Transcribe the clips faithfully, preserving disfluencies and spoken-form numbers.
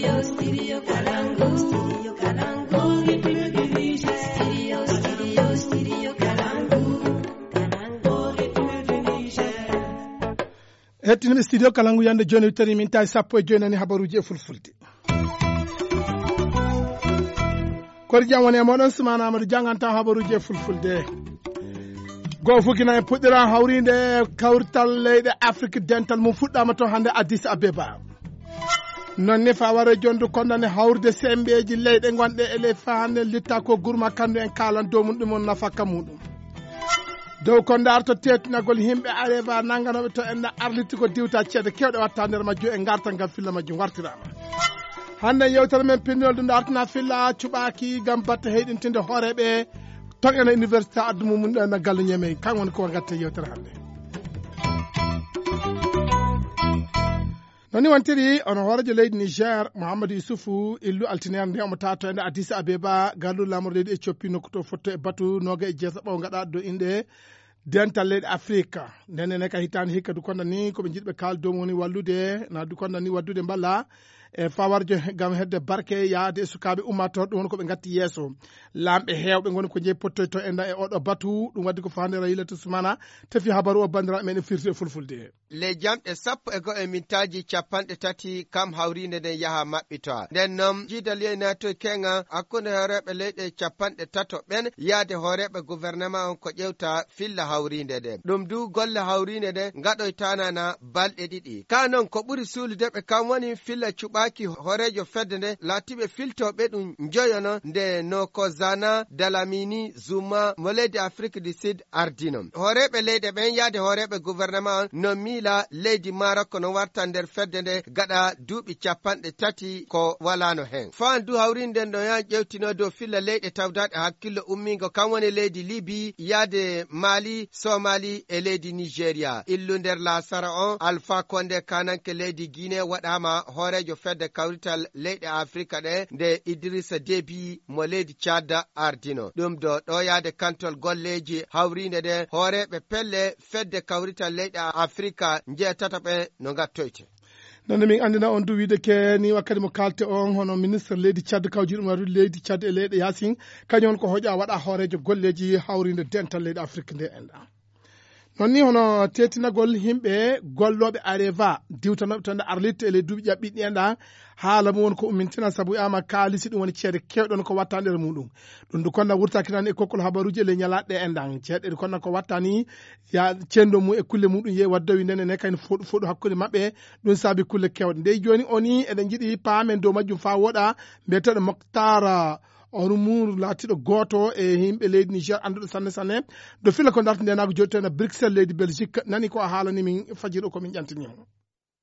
Hettiniɓe studio kala ngu yande joni tawi min tawi sappo e joyi nani habaruji e fulfulde. Kori jam woni e moɗon, Sumana Amadou janganta habaruji e fulfulde. Goo fukina e puɗɗira hawrinde kawrital leyɗe Afrique dental mum fuɗɗama to hande Addis Abeba. Non ni fa wara jondu kondane hawrude sembeji leyɗe gonɗe e ley fa hande litta ko gurma kandu en kalan dow mum ɗum on nafaka muɗum. Dow ko darto tetinagol himɓe Areva nanganoɓe to en arliti ko diwta ceede kewɗe watta nder majju e gartal ngam filla majju wartirama. Hande yewtere men pinnol ɗum dartana filla cuɓaki ngam batte heyɗintinde hooreɓe to ena université addu mum ɗo ena galle ñamey kan woni ko gatte yewtere hande. Noni wontiri on hoorejo leydi Niger Mouhamadou Youssoufou illu altinere nde omo tato ende Addis Abeba garlu lamor leydi Ethiopie nokku to fotto e batu noga e jeesa ɓaw gaɗa do inɗe dental leyɗe Afrika. Ndene ne ka hitande hikka dukonda ni koɓe jiɗɓe kal dow woni wallude na dukonda ni waddude mballa e fawarjo gam hedde barke yaade e sukaɓe ummator ɗum woni koɓe gatti yeeso. Lamɓe hewɓe goni ko jeeyi pottoyto e nda e oɗo batu ɗum waddi ko fande rayilata sumana. Tefi habaru o bandiraɓe men e firti e fulfulde. Ley jamɗe sappo e go'o e mintaaji capanɗe tati kam hawriinde nden yaha maɓɓitoa. Nden non jiidal yey naatoy keŋa hakkunde hooreeɓe leyɗe capanɗe tato ɓen yaade hooreeɓe gouvernement on ko ƴewta filla hawriinde nden. Ɗum du golle hawriinde nden ngaɗoytaanana balɗe ɗiɗi. Ka non ko ɓuri suulude ɓe kam woni filla cuɓaaki hooreejo fedde nde laatiiɓe filtooɓe ɗum njoyono nde no ko Zana Dalamini Zuma mo leydi Afrique du Sud ardino. Hooreeɓe leyɗe ɓen yaade hooreeɓe gouvernement on no miila leydi Maroc no warta nder fedde nde gaɗa duuɓi capanɗe tati ko walaano hen. Faan du hawrinde nden no yan ƴewtino dow filla leyɗe tawdaɗe hakkillo ummingo kan woni leydi Libi yaade Mali, Somali e leydi Nigeria. Illu nder laasara on Alpha Condé kananke leydi Guinée waɗama hooreejo fedde kawrital leyɗe Afrika ɗe nde Idrissa Déby mo leydi Tchad ardino. Ɗum ɗo ɗo yaade kantol golleeji hawriinde ɗe hooreeɓe pelle fedde kawrital leyɗe Afrika njeetata ɓe no ngattoyte. Nonde min andina on du wiide ke ni wakkati mo kalte on hono ministre leydi Tchad kawji ɗum waɗi leydi Tchad e leyɗe Yasin kañum on ko hoƴa waɗa hooreejo golleeji hawriinde dental leyɗe Afrique nde enɗa. Non ni hono tetinagol himɓe gollooɓe Areva diwtanooɓe to nde Arlit e ley duuɓi ƴaɓɓiɗi en ɗa haala mum won ko ummintina sabu ama kaalisi ɗum woni ceede kewɗon ko watta nder muɗum. Ɗum du konna wurtakinani e kokkol habaruji e ley ñalaɗe en ɗan ceeɗe ɗi konna ko wattani ya cendo mum e kulle muɗum yehi waddowi nene ne kayno foɗu foɗu hakkunde maɓɓe. Ɗum saabi kulle kewɗe ndey joni oni eɗen jiɗi paamen dow majjum fa woɗa mbiyeteɗo Moctar Ormour laatiiɗo gooto e yimɓe leydi Niger annduɗo sanne sanne do fila ko darti ndenago joɗi toon e Bruxelles leydi Belgique nani ko a haalani min fajiri o ko min ƴantini mo.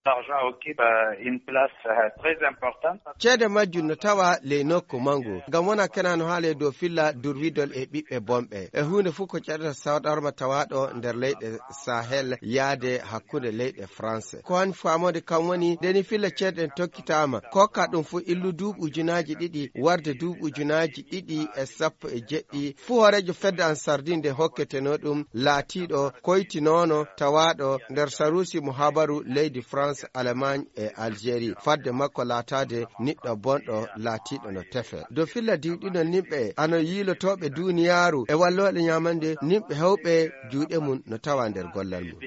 L'argent occupe euh, une place euh, très importante. Ceede majjum no tawa ley nokku mangu ngam wona kena no haale dow filla durwidol e ɓiɓɓe bonɓe e huunde fof ko ceɗata sadarma tawaɗo nder leyɗe Sahel yaade hakkunde leyɗe France. Ko hani faamode kam woni ndeni filla ceeɗe ɗen tokkitaama kokka ɗum fof illu duuɓi ujunaaji ɗiɗi warde duuɓi ujunaaji ɗiɗi e sappo e jeɗɗi fuu hooreejo fedde Ansardin nde hokketeno ɗum laatiiɗo koytinoono tawaaɗo nder saruusi mo habaru leydi France, Allemagne e Algérie fadde makko laataade niɗɗo bonɗo laatiiɗo no tefe dow filla diwɗinol nimɓe ano yiilotooɓe duuniyaaru e wallooɗe ñaamande nimɓe hewɓe juuɗe mum no tawa nder gollal mum.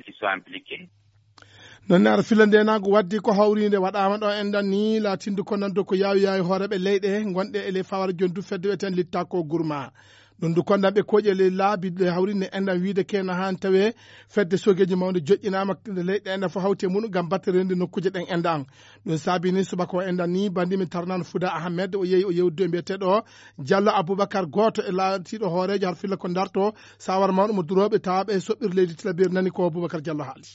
Noon ne ara filla ndenaango waddi ko hawriinde waɗaama ɗo enɗan ni laatinde ko nanndo ko yaawi yaawi hooreeɓe leyɗe ngonɗe e ley fawara jondu fedde wiyeten litta ko gurma. Ɗum du kondanɓe kooƴe ley laabi ɗe hawrinde enɗan wiide kena haan tawe fedde sogeeji mawde joƴƴinaama leyɗe enɗan fof hawti e mum ngam batte rende nokkuuje ɗen enɗan. Ɗum saabi ni subaka o enɗan ni bandi min tarnano Fuda Ahmed o yehi o yewdude mbiyeteɗo Diallo Aboubacar gooto e laatiiɗo hooreejo har filla ko darto sawara mawɗo mo durooɓe tawaɓe soɓɓir leydi tilaberi nani ko Aboubacar Diallo haali.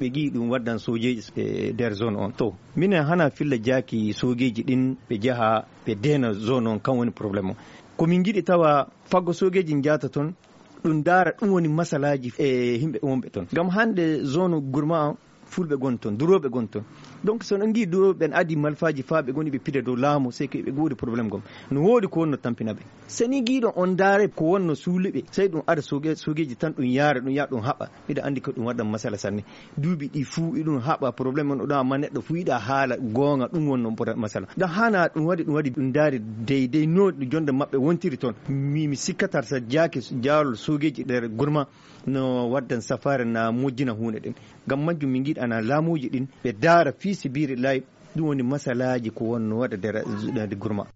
Ɓe ngiyi ɗum waddan soojeeji e nder zone on to minen hana filla jaaki soogeeji ɗin ɓe njaha ɓe deena zone on kan woni problème o ko min ngiɗi tawa faggo soogeeji njaata toon ɗum ndaara ɗum woni masalaaji e yimɓe wonɓe toon ngam hannde zone gurma on fulɓe ngon toon durooɓe ngon toon Donc so no ngi do ɓen adi malfaji fa ɓe goni ɓe pida dow laamu, sey ko ɓe godi problème gom. No wodi ko wonno tampina ɓe. Seni giɗo on ndaare ko wonno suuli ɓe, sey ɗum ada soge-, sogeji tan ɗum yaara ɗum ya ɗum haɓa. Miɗa andi ko ɗum waɗan masala sanne. Duuɓi ɗi fuu iɗum haɓa problème on ɗum, amma neɗɗo fuu yiɗa haala goonga, ɗum wonno masala. Ɗum hana ɗum waɗi, ɗum waɗi ɗum ndaari deydey no jonde maɓɓe wontiri toon. Mi, mi sikkatar sa jaaki jaalol sogeji ɗer gurma no waddan safaare na mojjina huunde ɗen. Ngam majjum min ngiɗana laamuuji ɗin ɓe daara fii sibiiri lay, ɗum woni masalaaji ko wonno waɗa nder, nder gurma.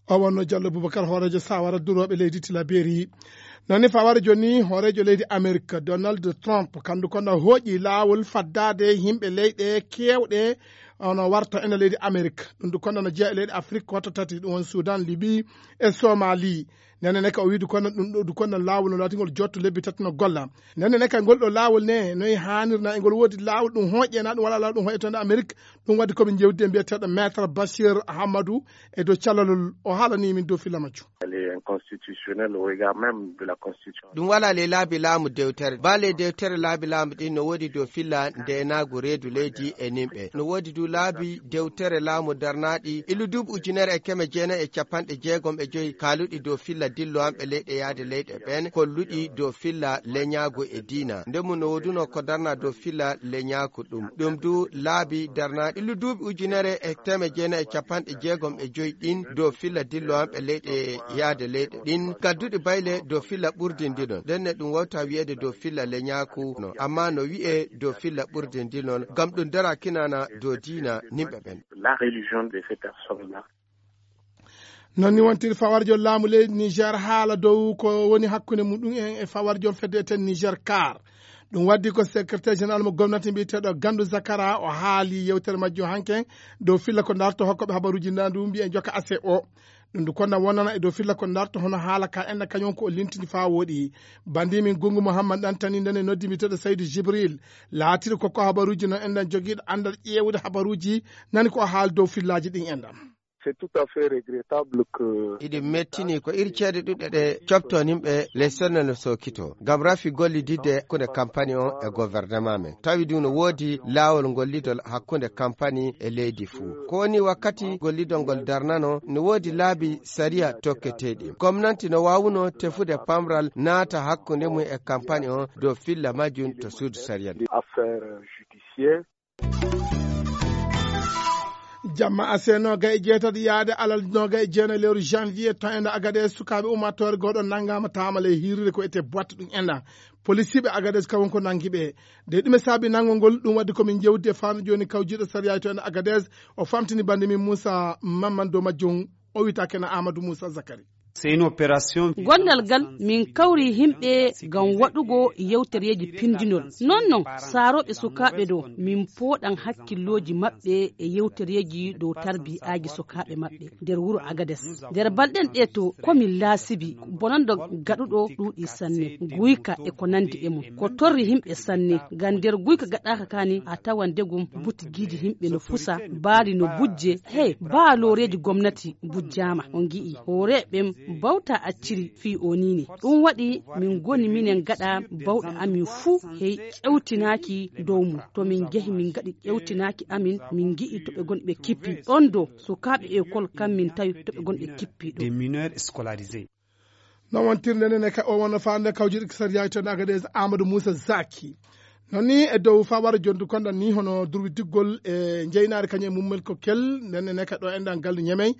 O wonno Jallo Boubacar, hooreejo Sawara durooɓe leydi Tilaberi. Noon ni fawara jooni hooreejo leydi Amerik, Donald Trump, kandu kono hooƴi laawol faddaade yimɓe leyɗe keewɗe ono warta ene leydi Amerik. Ɗum du kono no jeya e leyɗe Afrik ko watto tati, ɗum woni Sudan, Libi e Somali. Nene ne ka o wiidu kono ɗum ɗo du kono laawol no laatingol jotto lebbi tati no golla. Nene ne ka ngol ɗo laawol ne noy haanirna e ngol woodi laawol ɗum hooƴe na ɗum wala laawol ɗum hooƴe toon Amerik. Ɗum waɗi komin jewdi e mbiyeteeɗo Maître Bachir Ahamadou e dow calalol o haalani min dow filla majjum. Elle est inconstitutionnelle au regard même de la constitution. Ɗum wala ley laabi laamu dewtere. Ba ley dewtere laabi laamu ɗin no woodi dow filla ndeenaagu reedu leydi e nimɓe. No woodi du laabi dewtere laamu darnaaɗi ilu duuɓi ujunere e keme jeenayi e capanɗe jeegom e joyi kaaluɗi dow filla dillowanɓe leyɗe yaade leyɗe ɓen, kolluɗi dow filla leñaagu e diina. Nde mum no wooduno ko darna dow filla leñaaku ɗum. Ɗum du laabi darnaaɗi ilu duuɓi ujunere e teme jeenayi e capanɗe jeegom e joyi ɗin dow filla dillowanɓe leyɗe yaade leyɗe ɗin. Gadduɗi bayle dow filla ɓurdindinon. Nden ne ɗum wawta wi'eede dow filla leñaaku no. Amma no wi'e dow filla ɓurdindinon. Ngam ɗum dara kinana dow diina nimɓe ɓen. La religion de ces personnes-là. Noon ni wontiri fawarjo laamu leydi Niger haala dow ko woni hakkunde mum ɗum en e fawarjo fedde eten Niger Car. Ɗum waddi ko secrétaire général mo gomnati mbiyeteeɗo Gandu Zakara o haali yewtere majjo hanke dow filla ko darto hokkoɓe habaruji ndandu mbiyen joka ase o. Ɗum du konna wonana e dow filla ko darto hono haala ka enɗa kañum ko o lintini faa wooɗi. Bandi min Gungu Muhammad Dantani ndene noddi mbiyeteeɗo Saydu Jibril. Laatiɗo ko ko habaruji no enɗan jogiiɗo anndal ƴeewude habaruji nani ko o haali dow fillaaji ɗin enɗan. C'est tout à fait regrettable que Iɗi mettini ko iri ceede ɗuɗɗe ɗe copto nimɓe ley sonnel no sookito. Ngam rafi gollididde hakkunde kampani on e gouvernement men. Tawi ɗum no woodi laawol gollidol hakkunde kampani e leydi fuu. Ko woni wakkati gollidol ngol darnano, no woodi laabi sariya tokketeeɗi. Gomnanti no waawuno tefude pamral naata hakkunde mum e kampani on dow filla majjum to suudu sariya. Affaire judiciaire. Jamma ase noga e jeetati yaade alal noga e jeenayi lewru janvier to enda Agadez sukaaɓe ummattoore gooɗo nangama tamale e hirrire ko ete boitte ɗum enda. Polisiiɓe Agadez kawon ko nangi ɓe. De ɗume saabi nangol ngol ɗum wadde komin jewdi e faami jooni kawjiiɗo sariya to enda Agadez o famtini bande min Moussa Mamman dow majjum o wiyta kena Amadou Moussa Zakari. C'est une opération. Gondal gal min kawri yimɓe ngam waɗugo yewtereeji pindinol. Non non, saarooɓe sukaaɓe ɗo, min pooɗan hakkillooji maɓɓe e yewtereeji dow tarbiyyaaji sukaaɓe maɓɓe nder wuro Agades. Nder balɗen ɗe to, ko min laasibi, bonando gaɗuɗo ɗuuɗi sanne, guyka e ko nandi e mum. Ko torri yimɓe sanne, ngam nder guyka gaɗaaka kaani a tawan degum butigiiji yimɓe no fusa, baali no bujje, hey, baa looreeji gomnati bujjaama. On ngi'i, hooreeɓe ɓen bawta acciri fii o niini. Ɗum waɗi min ngoni minen gaɗa bawɗe amin fuu, hey, ƴewtinaaki dow mum. To min njehi min ngaɗi ƴewtinaaki amin, min ngi'i to ɓe ngoni ɓe kippi. Ɗon do, sukaaɓe ekol kam min tawi to ɓe ngoni ɓe kippi ɗo. Des mineurs scolarisés. Non wontirde nene ka o wonno faande kawjuɗo sariya to Agadez Amadou Moussa Zaki. Non ni e dow fawara jondu konda ni hono durwi diggol e jeynaare kañum e mummel ko kel nene ne ka ɗo enɗan gallu ñemey.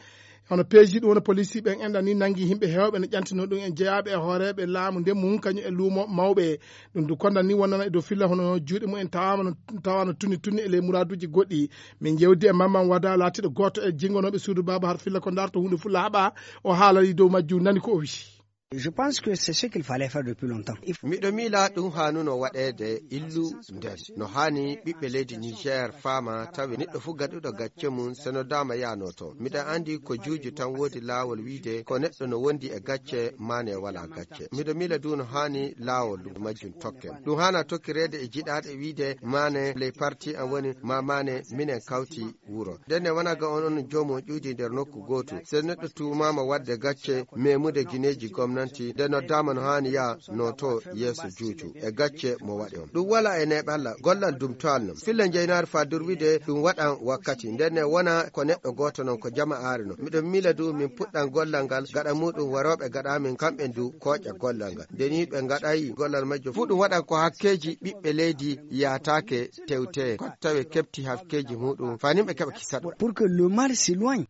Hono peeji ɗum wona police ɓen enɗan ni nangi yimɓe heewɓe no ƴantino ɗum en jeyaaɓe e hooreeɓe laamu nde mum kañum e luumo mawɓe. Ɗum du konda ni wonnana e dow filla hono juuɗe mum en tawama no, tawano tunni tunni e ley muraaduji goɗɗi. Min jewdi e Mamman Wada laatiɗo gooto e jingonooɓe suudu baaba har filla ko darto huunde fulla haɓa o haalani dow majjum nani ko o wi'i. Je pense que c'est ce qu'il fallait faire depuis longtemps. Il faut Miɗo miila ɗum haanuno waɗeede illu nden. No haani ɓiɓɓe leydi Niger faama tawi neɗɗo fuu gaɗuɗo gacce mum seno dama yaano toon. Miɗo andi ko juuju tan woodi laawol wiide ko neɗɗo no wondi e gacce maane wala gacce. Miɗo miila du no haani laawol majjum tokken. Ɗum haana tokkireede e jiɗaaɗe wiide maane ley parti an woni ma maane minen kawti wuro. Ndenne wona ga on, on joomu on ƴuudi nder nokku gootu. So neɗɗo tuumaama waɗde gacce, memude gineeji gomnati, Nde noddaama no haani yaa no to yeeso juuju e gacce mo waɗi on. Ɗum wala e neeɓalla, gollal dum to alnum. Filla njeynaari faa durwide ɗum waɗan wakkati. Nden ne wona ko neɗɗo gooto non ko jama aari non. Miɗo miila du min puɗɗan gollal ngal gaɗa muuɗum warooɓe gaɗa min kamɓe du kooƴa gollal ngal. Nde ni ɓe ngaɗay gollal majjo fuu ɗum waɗan ko hakkeeji ɓiɓɓe leydi yaataake tewte. Ko tawe keɓti hakkeeji muuɗum faa nimɓe keɓa kisaɗo. Pour que le mal s'éloigne.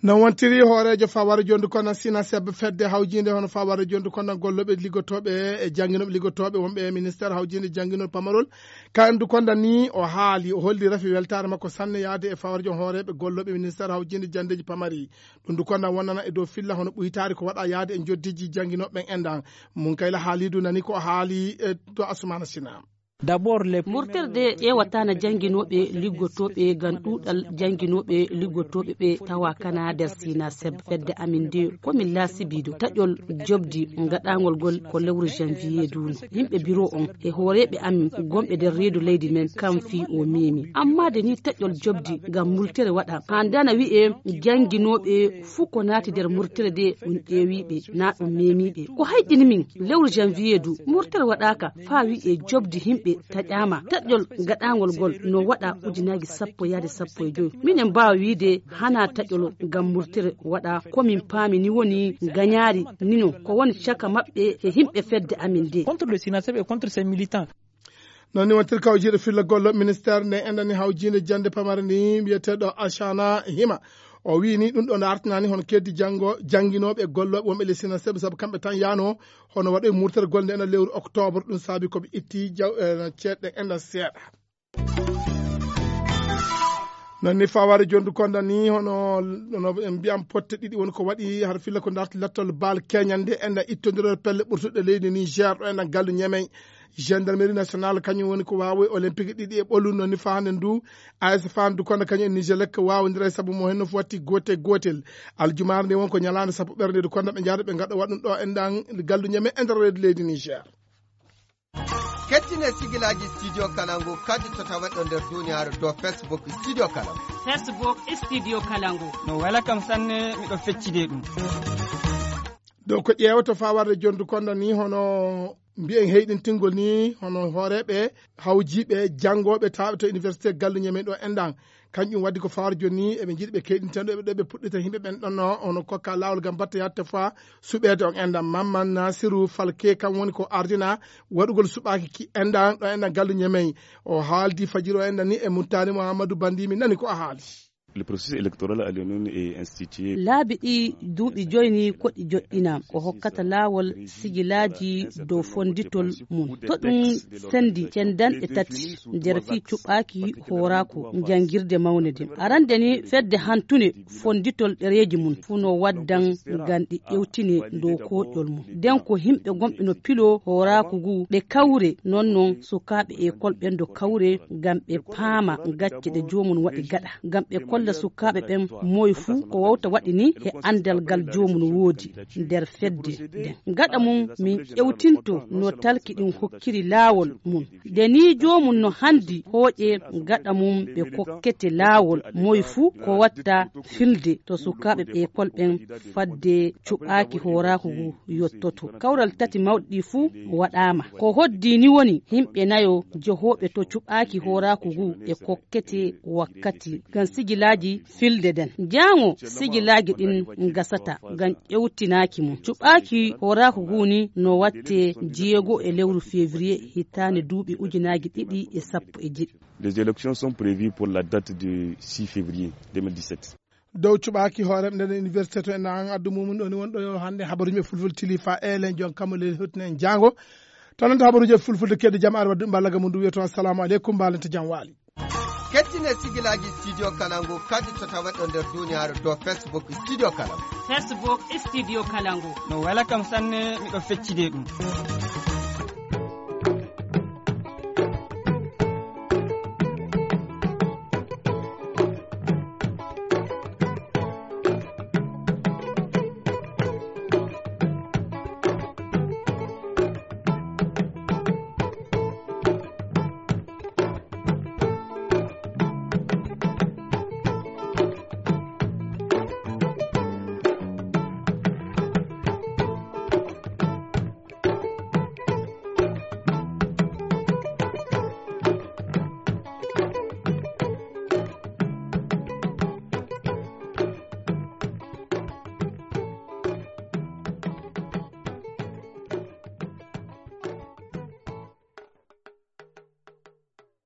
No wontiri hooreejo faware jondu konna Sinaseb fedde hawjinde hono faware jondu konna gollooɓe liggotooɓe e jannginooɓe liggotooɓe wonɓe e ministeer hawjinde jannginol pamarol. Ka endu konda ni o haali, o holli rafi weltaare makko sanne yaade e faware jon hooreeɓe gollooɓe ministeer hawjinde janndeeji pamari. Ɗum du konda wonnana e dow filla hono ɓuytaari ko waɗa yaade e njoddiji jannginooɓe ɓen endan. Mun kayla haali du nani ko o haali e to Asumana Sina. D'abord, les Murterde ƴeewataana jannginooɓe liggotooɓe ngam ɗuuɗal jannginooɓe liggotooɓe ɓe tawa kana nder Sinaseb. Fedde amin nde ko min laasibiiɗo taƴol jobdi ngaɗaangol ngol ko lewru janvier duuno. Yimɓe biro on e hooreeɓe amin gonɓe nder reedu leydi men kam fii o meemi. Amma de ni taƴol jobdi ngam murtere waɗa. Haa ndana wi'e jannginooɓe fuu ko naati nder murtere de ɗum ƴeewiiɓe naa ɗum meemiiɓe. Ko hayɗini min lewru janvier du murtere waɗaaka. Faa wi'e jobdi himɓe taƴaama. Taƴol gaɗaangol ngol no waɗa ujunaaji sappo yaade sappo e joy. Minen mbaawa wiide hanaa taƴol ngam murtere waɗa. Ko min paami ni woni gañaari nino ko woni caka maɓɓe e himɓe fedde amin nde. Contre le Sinaseb et contre ses militants. Noon ni wontirka o jiiɗo filla gollo ministère nde enɗani hawjiinde jannde pamare ni wiyeteeɗo Acana Hima. O wii ni ɗum ɗo no artinaani hono keddi janngo jannginooɓe e gollooɓe wonɓe ley Sinaseb sabu kamɓe tan yaano hono waɗoy murtere golde ena lewru octobre. Ɗum saabi ko ɓe itti jaw eh, ceeɗɗe enɗan seeɗa. Noon ni fawaare jondu konda ni hono no en mbiyam potte ɗiɗi woni ko waɗi har filla ko darti lattol baal keñande enɗan ittondirore pelle ɓurtuɗe leydi Niger ɗo enɗan gallu ñemey. Gendarmerie nationale kañum woni ko waawi olympique ɗiɗi e ɓolu noon ni faande ndu. A S Fan du konda kañum e Niger lekka waawondira e sabu mo henno fof watti goote gootel. Aljumaare nde won ko ñalaande sappo ɓernde du konda ɓe njaada ɓe ngaɗa waɗ ɗum ɗo enɗan gallu ñemey e nder reedu leydi Niger. Kettine sigilaaji Studio Kalangu kadi to taweɗo nder duniyaaru dow Facebook Studio Kalangu. Facebook Studio Kalangu. No wela kam sanne miɗo feccide ɗum. Dow ko ƴeewata fawarde jondu konda ni hono mbiyen heyɗintingol ni hono hooreeɓe hawjiiɓe janngooɓe taaɓe to université gallu ñemen ɗo enɗan. Kanƴum waddi ko fawaade jooni ni eɓe njiɗi ɓe keyɗinten ɗo eɓe ɗo ɓe puɗɗita yimɓe ɓen ɗonno hono kokka laawol ngam batte yatte faa suɓeede on enɗan. Mamman Nasiru Falke kam woni ko ardina waɗugol suɓaaki ki enɗan ɗo enɗan gallu ñemey. O haaldi fajiri o enɗan ni e muttaani Mouhamadou Bandi mi nani ko a haali. Le processus électoral à Lyon est institué. Laabi ɗi duuɓi joyi ni ko ɗi joɗɗina ko hokkata laawol sigilaaji dow fonnditol mum. To ɗum senndi cendanɗe tati nder fii cuɓaaki hooraaku njanngirde mawnde nden. Arande ni fedde hantunde fonnditol ɗereeji mum fuu no waddan ngam ɗi ƴewtine dow kooƴol mum. Nden ko yimɓe gonɓe no piloo hooraaku ngu ɓe kawre non non sukaaɓe ekol ɓen do kawre ngam ɓe paama gacce ɗe joomum waɗi gaɗa. Ngam ɓe kolla sukaaɓe ɓen moy fuu ko wawta waɗi ni e anndal ngal joomum woodi nder fedde nden. Gaɗa mum min ƴewtinto no talki ɗin hokkiri laawol mum. Nde ni joomum no hanndi hooƴe gaɗa mum ɓe kokkete laawol moy fuu ko watta filde to sukaaɓe ɓe ekol ɓen fadde cuɓaaki hooraaku ngu yottoto. Kawral tati mawɗi ɗi fuu waɗaama. Ko hoddi ni woni yimɓe nayo jehooɓe to cuɓaaki hooraaku ngu ɓe kokkete wakkati ngam sigilaaji filde nden. Jaango sigilaaji ɗin ngasata ngam ƴewtinaaki mum. Cuɓaaki hooraaku ngu ni no watte jeego e lewru février hitaande duuɓi ujunaaji ɗiɗi e sappo e jeɗɗi. Les élections sont prévues pour la date de six février deux mille dix-sept. Dow cuɓaaki hooreeɓe nden université to en an addu mumum ɗo ni wonɗo hannde habaruuji e fulfulde tilifa elen jon kammo leydi hotine en jaango. Tan nanta habaruuji e fulfulde kedde jam ar wadduɓe mballaga mum ndu wiyetoo assalamu aleykum mbalente jam waali. Kettine sigilaaji Studio Kalangu kadi to taweɗo nder duniyaaru dow Facebook Studio Kalangu. Facebook Studio Kalangu. No wela kam sanne miɗo feccide ɗum.